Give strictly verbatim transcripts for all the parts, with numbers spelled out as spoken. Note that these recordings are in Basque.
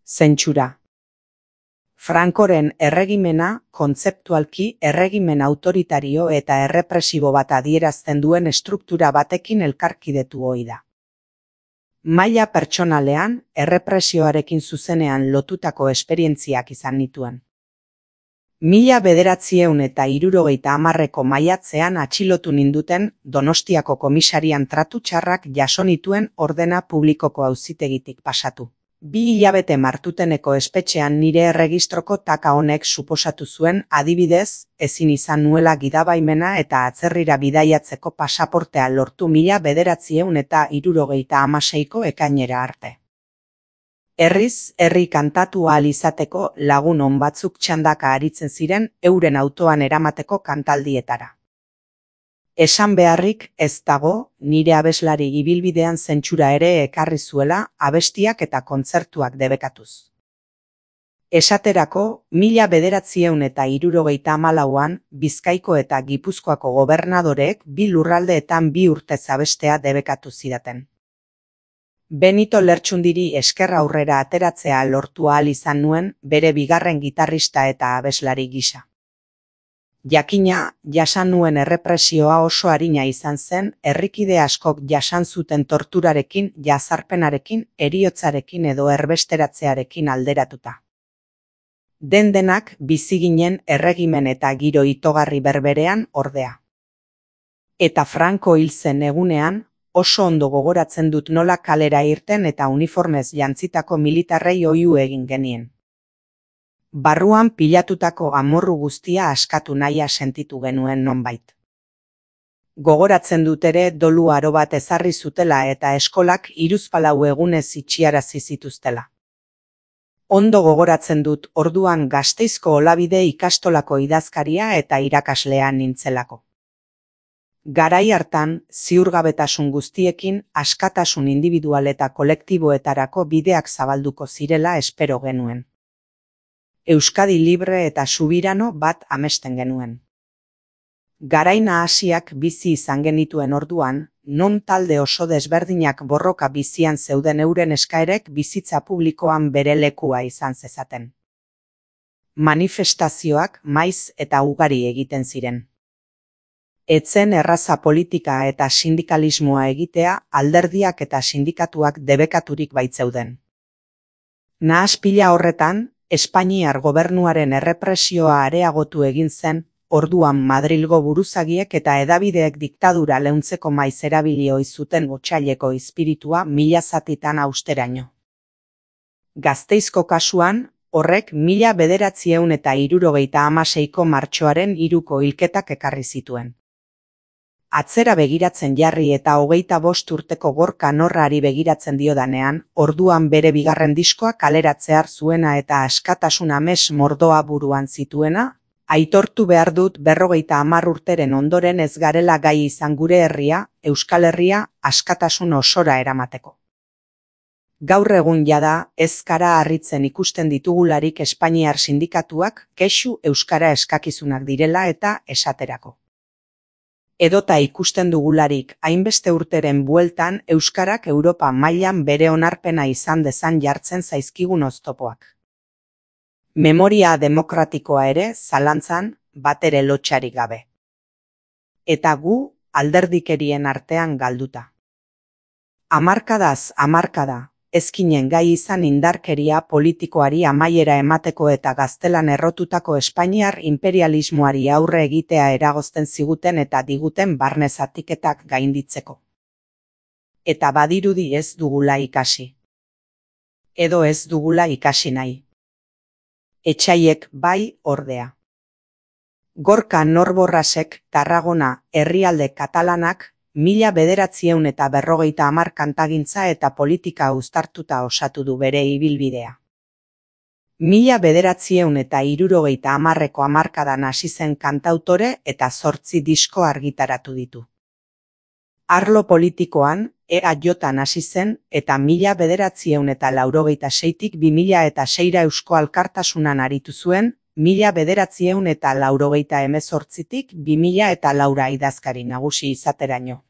Zentsura. Francoren erregimena kontzeptualki erregimen autoritario eta errepresibo bat adierazten duen estruktura batekin elkarkidetu ohi da. Maila pertsonalean, errepresioarekin zuzenean lotutako esperientziak izan nituen. Mila bederatziehun eta hirurogeita hamarreko maiatzean atxilotu ninduten Donostiako komisarian tratu txarrak jaso nituen ordena publikoko auzitegitik pasatu. Bi hilabete Martuteneko espetxean nire erregistroko taka honek suposatu zuen, adibidez, ezin izan nuela gidabaimena eta atzerrira bidaiatzeko pasaportea lortu mila bederatziehun eta hirurogeita hamaseiko ekainera arte. Herriz, herri kantatu ahal izateko lagun on batzuk txandaka aritzen ziren euren autoan eramateko kantaldietara. Esan beharrik ez dago, nire abeslari ibilbidean zentsura ere ekarri zuela abestiak eta kontzertuak debekatuz. Esaterako, mila bederatziehun eta hirurogeita hamalauan Bizkaiko eta Gipuzkoako gobernadoreek bi lurraldeetan bi urtez abestea debekatu zidaten. Benito Lertxundiri esker aurrera ateratzea lortu ahal izan nuen bere bigarren gitarrista eta abeslari gisa. Jakina, jasan nuen errepresioa oso arina izan zen, herrikide askok jasan zuten torturarekin, jazarpenarekin, heriotzarekin edo erbesteratzearekin alderatuta. Den-denak bizi ginen erregimen eta giro itogarri berberean ordea. Eta Franco hil zen egunean, oso ondo gogoratzen dut nola kalera irten eta uniformez jantzitako militarrei oihu egin genien. Barruan pilatutako amorru guztia askatu nahia sentitu genuen nonbait. Gogoratzen dut ere dolu aro bat ezarri zutela eta eskolak hiruzpalau egunez itxiarazi zituztela. Ondo gogoratzen dut orduan Gasteizko Olabide ikastolako idazkaria eta irakaslea nintzelako. Garai hartan, ziurgabetasun guztiekin askatasun individual eta kolektiboetarako bideak zabalduko zirela espero genuen. Euskadi libre eta subirano bat amesten genuen. Garai nahasiak bizi izan genituen orduan, non talde oso desberdinak borroka bizian zeuden euren eskaerek bizitza publikoan bere lekua izan zezaten. Manifestazioak maiz eta ugari egiten ziren. Etzen erraza politika eta sindikalismoa egitea alderdiak eta sindikatuak debekaturik baitzeuden. Nahaspila horretan, Espainiar gobernuaren errepresioa areagotu egin zen, orduan Madrilgo buruzagiek eta hedabideek diktadura leuntzeko maiz erabili ohi zuten otsaileko izpiritua mila zatitan austeraino. Gasteizko kasuan, horrek mila bederatziehun eta hirurogeita hamaseiko martxoaren hiruko hilketak ekarri zituen. Atzera begiratzen jarri eta hogeita bost urteko Gorka Norrari begiratzen diodanean, orduan bere bigarren diskoa kaleratzear zuena eta askatasun ames mordoa buruan zituena, aitortu behar dut berrogeita hamar urteren ondoren ez garela gai izan gure herria, Euskal Herria, askatasun osora eramateko. Gaur egun jada, ez gara harritzen ikusten ditugularik Espainiar sindikatuak kexu euskara eskakizunak direla eta esaterako. Edota ikusten dugularik hainbeste urteren bueltan euskarak Europa mailan bere onarpena izan dezan jartzen zaizkigun oztopoak. Memoria demokratikoa ere zalantzan batere lotsarik gabe. Eta gu alderdikerien artean galduta. Hamarkadaz hamarkada, ezkinen gai izan indarkeria politikoari amaiera emateko eta gaztelan errotutako Espainiar imperialismoari aurre egitea eragozten ziguten eta diguten barne zatiketak gainditzeko. Eta badirudi ez dugula ikasi. Edo ez dugula ikasi nahi. Etsaiek bai ordea. Gorka Norborrasek Tarragona herrialde katalanak mila bederatziehun eta berrogeita hamar kantagintza eta politika uztartuta osatu du bere ibilbidea. Mila bederatziehun eta hirurogeita hamarreko hamarkadan hasi zen kantautore eta zortzi disko argitaratu ditu. Arlo politikoan, E A J-an hasi zen eta mila bederatziehun eta laurogeita seitik bi mila eta seira Eusko Alkartasunan aritu zuen, mila bederatziehun eta laurogeita hemezortzitik bi mila eta laura idazkari nagusi izateraino.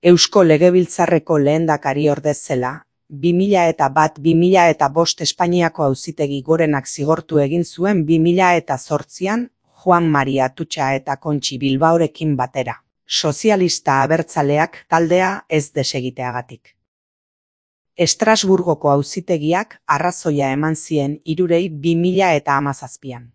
Eusko Legebiltzarreko lehendakari ordez zela, bi mila eta bat bi mila eta bost Espainiako Auzitegi Gorenak zigortu egin zuen bi mila eta zortzian Juan Maria Atutxa eta Kontxi Bilbaorekin batera, sozialista abertzaleak taldea ez desegiteagatik. Estrasburgoko auzitegiak arrazoia eman zien hirurei bi mila eta hamazazpian.